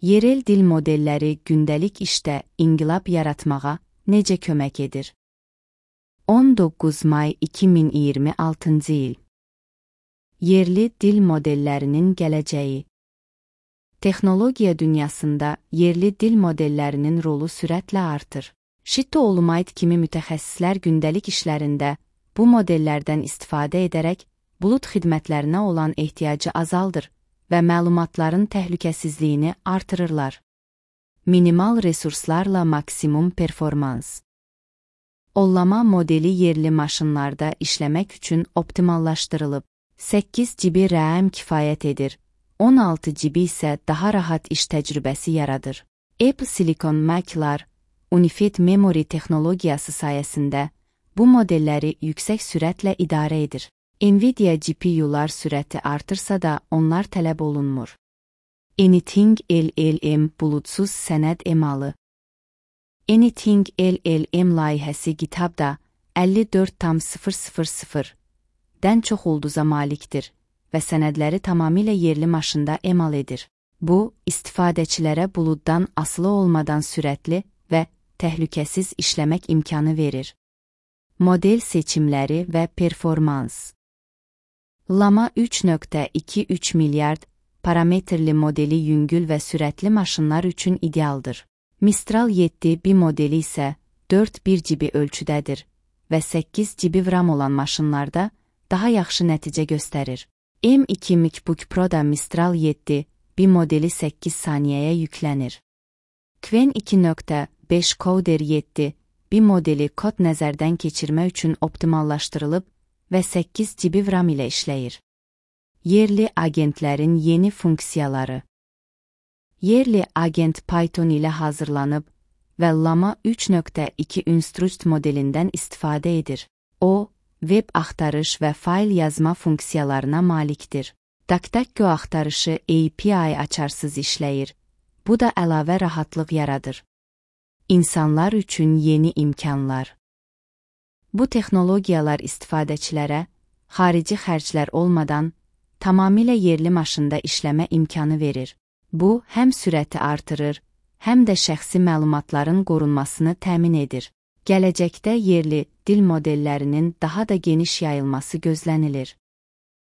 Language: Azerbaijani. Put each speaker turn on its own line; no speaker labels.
Yerel dil modelləri gündəlik işdə inqilab yaratmağa necə kömək edir? 19 may 2026 il. Yerli dil modellərinin gələcəyi. Texnologiya dünyasında yerli dil modellərinin rolu sürətlə artır. Shitta Olmayd kimi mütəxəssislər gündəlik işlərində bu modellərdən istifadə edərək bulud xidmətlərinə olan ehtiyacı azaldır və məlumatların təhlükəsizliyini artırırlar. Minimal resurslarla maksimum performans. Ollama modeli yerli maşınlarda işləmək üçün optimallaşdırılıb. 8 GB RAM kifayət edir, 16 GB isə daha rahat iş təcrübəsi yaradır. Apple Silicon Mac-lar Unified Memory texnologiyası sayəsində bu modelləri yüksək sürətlə idarə edir. Nvidia GPU-lar sürəti artırsa da onlar tələb olunmur. Anything LLM buludsuz sənəd emalı. Anything LLM layihəsi GitHub-da 54,000-dən çox ulduza malikdir və sənədləri tamamilə yerli maşında emal edir. Bu, istifadəçilərə buluddan asılı olmadan sürətli və təhlükəsiz işləmək imkanı verir. Model seçimləri və performans. Llama 3.23 milyard parametrli modeli yüngül və sürətli maşınlar üçün idealdır. Mistral 7B modeli isə 4,1 GB ölçüdədir və 8 GB RAM olan maşınlarda daha yaxşı nəticə göstərir. M2 MacBook Pro-da Mistral 7B modeli 8 saniyəyə yüklənir. Qwen 2.5 Coder 7B modeli kod nəzərdən keçirmə üçün optimallaşdırılıb və 8 GB RAM ilə işləyir. Yerli agentlərin yeni funksiyaları. Yerli agent Python ilə hazırlanıb və Llama 3.2 Instruct modelindən istifadə edir. O, web axtarış və fayl yazma funksiyalarına malikdir. DuckDuckGo axtarışı API açarsız işləyir. Bu da əlavə rahatlıq yaradır. İnsanlar üçün yeni imkanlar. Bu texnologiyalar istifadəçilərə xarici xərclər olmadan tamamilə yerli maşında işləmə imkanı verir. Bu, həm sürəti artırır, həm də şəxsi məlumatların qorunmasını təmin edir. Gələcəkdə yerli dil modellərinin daha da geniş yayılması gözlənilir.